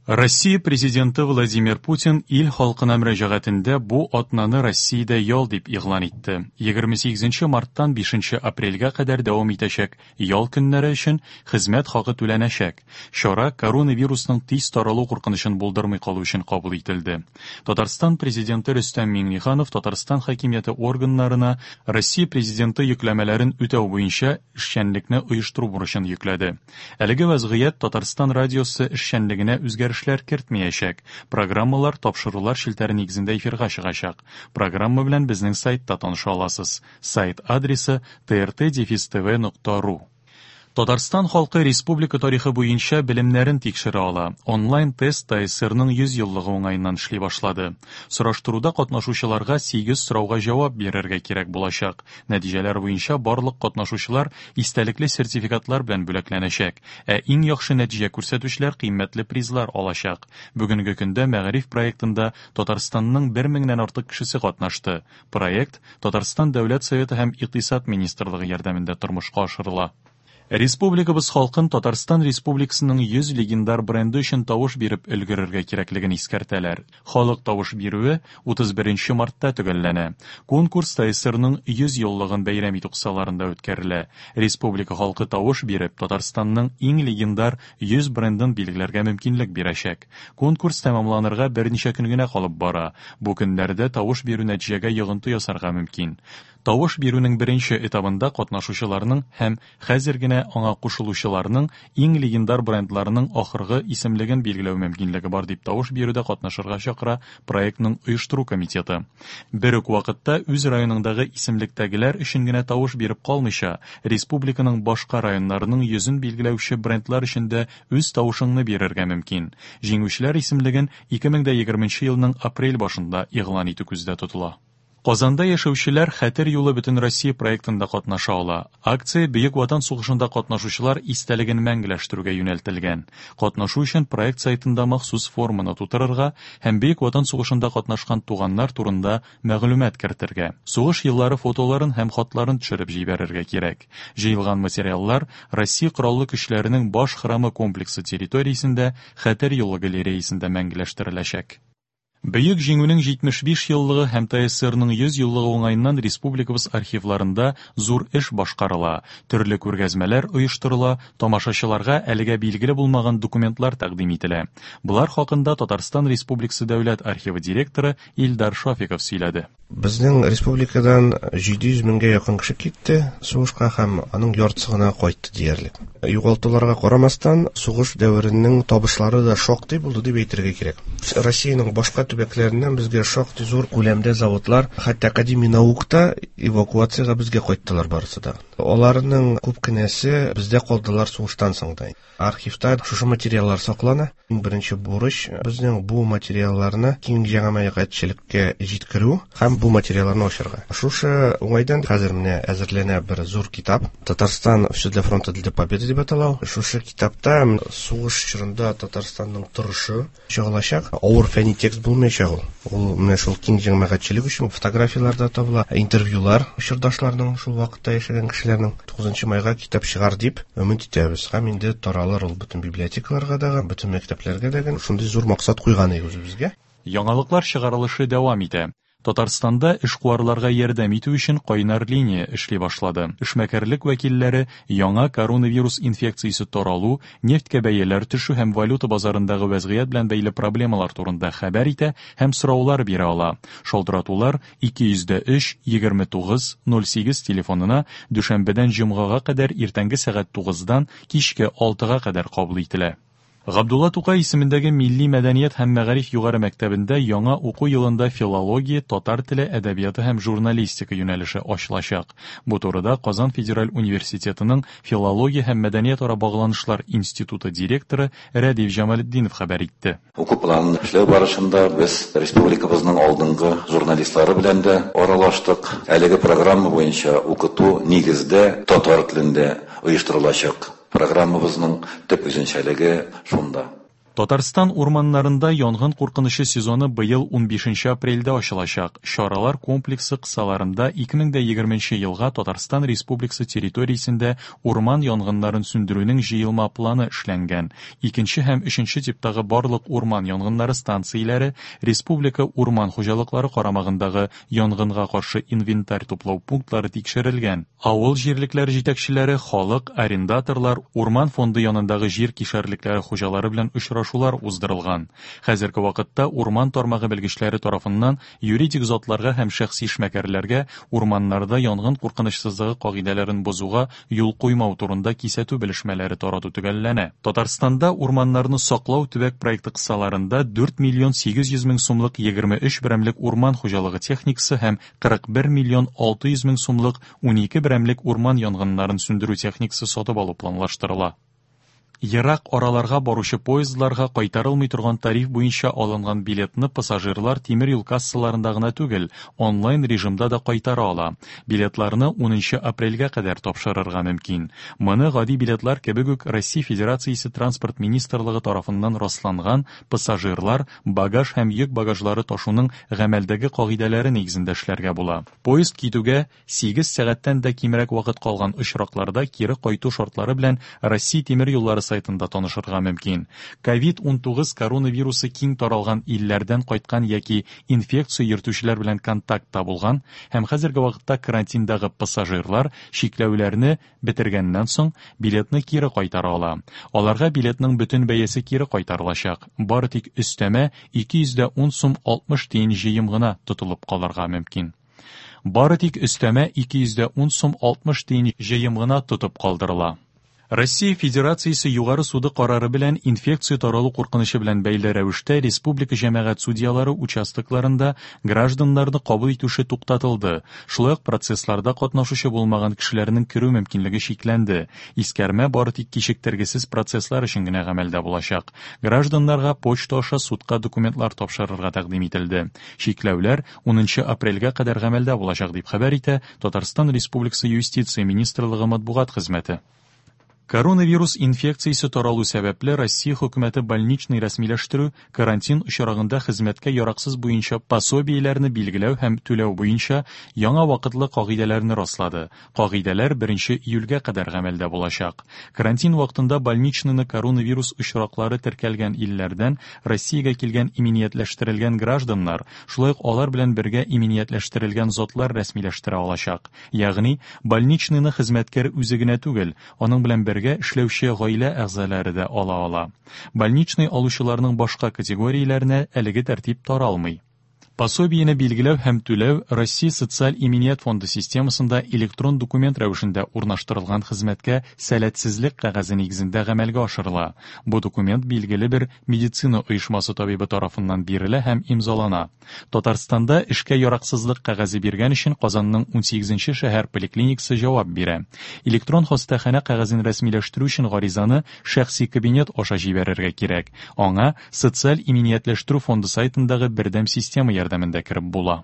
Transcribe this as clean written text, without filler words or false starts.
Россия Президенты Владимир Путин ил халкына мөрәҗәгатендә бу атнаны Россиядә ял дип игълан итте. 28 марттан 5 апрельгә кадәр дәвам итәчәк ял көннәре өчен хезмәт хакы түләнәчәк. Чара коронавирусның тиз таралу куркынычын булдырмый калу өчен кабул ителде. Татарстан Президенты Рөстәм Миңнеханов Татарстан хакимияте органнарына Россия Президенты йөкләмәләрен үтәү буенча эшчәнлекне оештыру бурычын йөкләде. Әлеге вәзгыять Татарстан радиосы эшчәнлегенә үзгәрешләр кертмәячәк. Программалар тапшырулар челтәре нигезендә эфирга чыгачак. Программа белән безнең сайтта таныша аласыз. Сайт адресы trt-tv.ru. Татарстан халкы республика тарихы буенча белемнәрен тикшерә ала. Онлайн-тест ТАССРның 100 еллыгы уңаеннан эшли башлады. Сораштыруда катнашучыларга 8 сорауга җавап бирергә кирәк булачак. Нәтиҗәләр буенча барлык катнашучылар истәлекле сертификатлар белән бүләкләнәчәк, ә иң яхшы нәтиҗә күрсәтүчеләр кыйммәтле призлар алачак. Бүгенге көндә Мәгариф проектында Татарстанның бер меңнән артык кешесе катнашты. Проект Татарстан Дәүләт Советы һәм Икътисад министрлыгы ярдәмендә тормышка ашырыла. Республикабыз халкын Татарстан Республикасының 100 легендар бренды өчен тавыш биреп өлгерергә кирәклеген искәртәләр. Халык тавыш бирүе 31 мартта төгәлләнә. Конкурс ТАССРның 100 еллыгын бәйрәм итү кысаларында үткәрелә. Республика халкы тавыш биреп, Татарстанның иң легендар 100 брендын билгеләргә мөмкинлек бирәчәк. Конкурс тәмамланырга берничә көн генә калып бара. Бу көннәрдә тавыш бирү нәтиҗәгә йогынты ясарга мөмкин. Тавыш бирүнең беренче этабында катнашучыларның һәм хәзер генә аңа кушылучыларның иң легендар брендларының ахыргы исемлеген билгеләү мөмкинлеге бар, дип тавыш бирүдә катнашырга чакыра проектның оештыру комитеты. Бер үк вакытта үз районыңдагы исемлектәгеләр өчен генә тавыш биреп калмыйча, республиканың башка районнарының йөзен билгеләүче брендлар өчен дә үз тавышыңны бирергә мөмкин. Җиңүчеләр исемлеген 2020 елның апрель башында игълан итү күздә тотыла. Казанда яшәүчеләр Хәтер юлы Бөтенроссия проектында катнаша ала. Акция Бөек Ватан сугышында катнашучылар истәлеген мәңгеләштерүгә юнәлтелгән. Катнашу өчен проект сайтында махсус форманы тутырырга һәм Бөек Ватан сугышында катнашкан туганнар турында мәгълүмат кертергә, сугыш еллары фотоларын һәм хатларын төшереп җибәрергә кирәк. Җыелган материаллар Россия Кораллы Көчләренең Баш храмы комплексы территориясендә Хәтер юлы галереясендә мәңгеләштереләчәк. Бөек Җиңүнең 75 еллыгы һәм ТАССРның 100 еллыгы уңаеннан республикабыз архивларында зур эш башкарыла, төрле күргәзмәләр оештырыла, тамашачыларга әлегә билгеле булмаган документлар тәкъдим ителә. Болар хакында Татарстан Республикасы Дәүләт архивы директоры Илдар Шафиков сөйләде. Безнең республикадан 700 меңгә якын кеше китте сугышка һәм аның яртысы гына кайтты диярлек. Югалтуларга карамастан, сугыш дәверенең табышлары да шактый булды дип әйтергә кирәк. Россиянең башка төбәкләреннән безгә шактый зур күләмдә заводлар, хәтта Академия наук та эвакуациягә безгә кайттылар барысы да. Аларның күп кенәсе бездә калдылар сугыштан соң да. Архивта шушы материаллар саклана. Иң беренче бурыч безнең бу материалларны киң җәмәгатьчелеккә җиткерү һәм бу материалларны ачарга. Шушы уңайдан хәзер менә әзерләнә бер зур китап. Татарстан все для фронта для победы дип атала. Шушы китапта сугыш чорында Татарстанның торышы чагылачак. Авыр фәнни текст булмаячак ул. Ул менә шул киң җәмәгатьчелек өчен фотографияләр дә табыла, интервьюлар чордашларның, шул вакытта яшәгән кешеләрнең. 9 майга китап чыгар дип өмет итәбез. Һәм инде таралыр ул бөтен библиотекаларга да, бөтен мәктәпләргә дә. Шундый зур максат куйган идек үзебезгә. Яңалыклар чыгарылышы дәвам итә. Татарстанда эшкуарларга ярдәм итү өчен кайнар линия эшли башлады. Эшмәкәрлек вәкилләре яңа коронавирус инфекциясе таралу, нефтькә бәяләр төшү һәм валюта базарындагы вәзгыять белән бәйле проблемалар турында хәбәр итә һәм сораулар бирә ала. Шалтыратулар 203 29 08 телефонына дүшәмбедән җомгага кадәр иртәнге сәгать 9-дан кичке 6-га кадәр кабул ителә. Габдулла Тукай исемендәге Милли мәдәният һәм мәгариф югары мәктәбендә яңа уку елында филология, татар теле, әдәбияты һәм журналистика юнәлеше ачылачак. Бу турыда Казан федераль университетының Филология һәм мәдәниятара багланышлар институты директоры Рәдиф Җамалетдинов хәбәр итте. Уку планын эшләү барышында без республикабызның алдынгы журналистлары белән дә аралаштык. Әлеге программа буенча укыту нигездә татар телендә оештырылачак. Программабызның төп үзенчәлеге шунда. Татарстан урманнарында янгын куркынычы сезоны быел 15 апрельдә ачылачак. Чаралар комплексы кысаларында 2020 елга Татарстан Республикасы территориясендә урман янгыннарын сүндерүнең җыелма планы эшләнгән. Икенче һәм өченче типтагы барлык урман янгыннары станцияләре республика урман хуҗалыклары карамагындагы янгынга каршы инвентарь туплау пунктлары тикшерелгән. Авыл җирлекләре җитәкчеләре, халык, арендаторлар, урман фонды янындагы җир кишәрлекләре хуҗалары белән очрашулар уздырылган. Хәзерге вакытта урман тармагы белгечләре тарафыннан юридик затларга һәм шәхси эшмәкәрләргә урманнарда янгын куркынычсызлыгы кагыйдәләрен бозуга юл куймау турында кисәтү белешмәләре тарату төгәлләнә. Татарстанда урманнарны саклау төбәк проекты кысаларында 4 миллион 800 мең сумлык 23 берәмлек урман хуҗалыгы техникасы һәм 41 миллион 600 мең сумлык 12 берәмлек урман янгыннарын сүндерү техникасы сатып алу планлаштырыла. Ерак араларга баручы поездларга кайтарылмый торган тариф буенча алынган билетны пассажирлар тимер юл кассаларында гына түгел, онлайн режимда да кайтара ала. Билетларны 10 апрельгә кадәр тапшырырга мөмкин. Моны гади билетлар кебек үк Россия Федерациясе Транспорт министрлыгы тарафыннан расланган пассажирлар багаж һәм йөк багажлары ташуның гамәлдәге кагыйдәләре нигезендә эшләргә була. Поезд китүгә 8 сәгатьтән дә кимрәк вакыт калган очракларда кире кайту шартлары белән Россия тимер юллары сайтында танышырга мөмкин. COVID-19 коронавирусы киң таралган илләрдән кайткан яки инфекция йөртүчеләр белән контактта булган һәм хәзерге вакытта карантиндагы пассажирлар чикләүләрне бетергәннән соң билетны кире кайтара ала. Аларга билетның бөтен бәясе кире кайтарылачак. Бары тик өстәмә 210 сум 60 тиен җыем гына тотылып калырга мөмкин. Бары тик өстәмә 210 сум 60 тиен җыем гына тотып калдырыла. Россия Федерациясе Югары суды карары белән инфекция таралу куркынычы белән бәйле рәвештә республика җәмәгать судьялары участокларында гражданнарны кабул итү эше туктатылды. Шулай ук процессларда катнашучы булмаган кешеләрнең керү мөмкинлеге чикләнде. Искәрмә бары тик кичектергесез процесслар өчен генә гамәлдә булачак. Гражданнарга почта аша судка документлар тапшырырга тәкъдим ителде. Чикләүләр 10 апрельгә кадәр гамәлдә булачак, дип хәбәр итә Татарстан Республикасы Юстиция министрлыгы матбугат хезмәте. Коронавирус инфекциясе таралу сәбәпле Россия хөкүмәте больничный рәсмиләштерү, карантин очрагында хезмәткә яраксыз буенча пособиеләрне билгеләү һәм түләү буенча яңа вакытлы кагыйдәләрне раслады. Кагыйдәләр 1 июльгә кадәр гамәлдә булачак. Карантин вакытында больничныйны коронавирус очраклары теркәлгән илләрдән Россиягә килгән иминиятләштерелгән гражданнар, шулай ук алар белән бергә иминиятләштерелгән затлар рәсмиләштерә алачак. Ягъни, больничныйны хезмәткәр үзе генә түгел, аның белән бергә эшләүче гаилә әгъзалары да ала ала. Больничный алучыларның башка категорияләренә әлеге тәртип таралмый. Пособиене билгеләү һәм түләү Россия социаль иминият фонды системасында электрон документ рәвешендә урнаштырылган хезмәткә сәләтсезлек кәгазе нигезендә гамәлгә ашырыла. Бу документ билгеле бер медицина оешмасы табибы тарафыннан бирелә һәм имзалана. Татарстанда эшкә яраксызлык кәгазе биргән өчен Казанның 18 шәһәр поликлиникасы җавап бирә. Электрон хастаханә кәгазен рәсмиләштерү өчен гаризаны шәхси кабинет аша җибәрергә кирәк. Аңа социаль иминиятләштерү фонды сайтындагы бердәм система ярдәмендә кереп була.